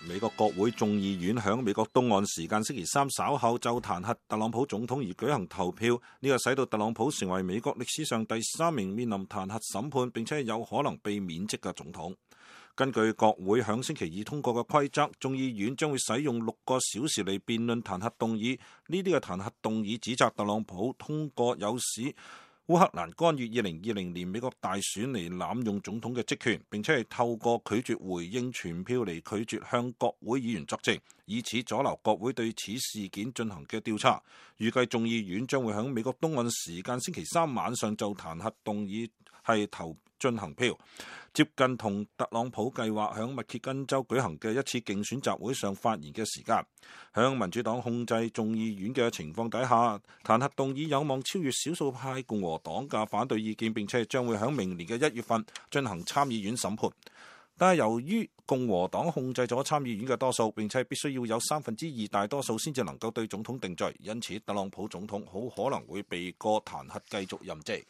美國國會眾議院響美國東岸時間星期三稍後就彈劾特朗普總統而舉行投票，呢個使到特朗普成為美國歷史上第3名面臨彈劾審判並且有可能被免職嘅總統。根據國會響星期二通過嘅規則，眾議院將會使用6個小時嚟辯論彈劾動議。呢啲嘅彈劾動議指責特朗普通過有使烏克蘭干預2020年美國大選嚟濫用總統嘅職權，並且係透過拒絕回應傳票嚟拒絕向國會議員作證，以此阻撓國會對此事件進行嘅調查。預計眾議院將會喺美國東岸時間星期三晚上就彈劾動議進行票，接近同特朗普計劃響密歇根州舉行嘅一次競選集會上發言嘅時間。響民主黨控制眾議院嘅情況底下，彈劾動議有望超越少數派共和黨嘅反對意見，並且將會響明年嘅1月份進行參議院審判。但係由於共和黨控制咗參議院嘅多數，並且必須要有2/3大多數先至能夠對總統定罪，因此特朗普總統好可能會避過彈劾繼續任職。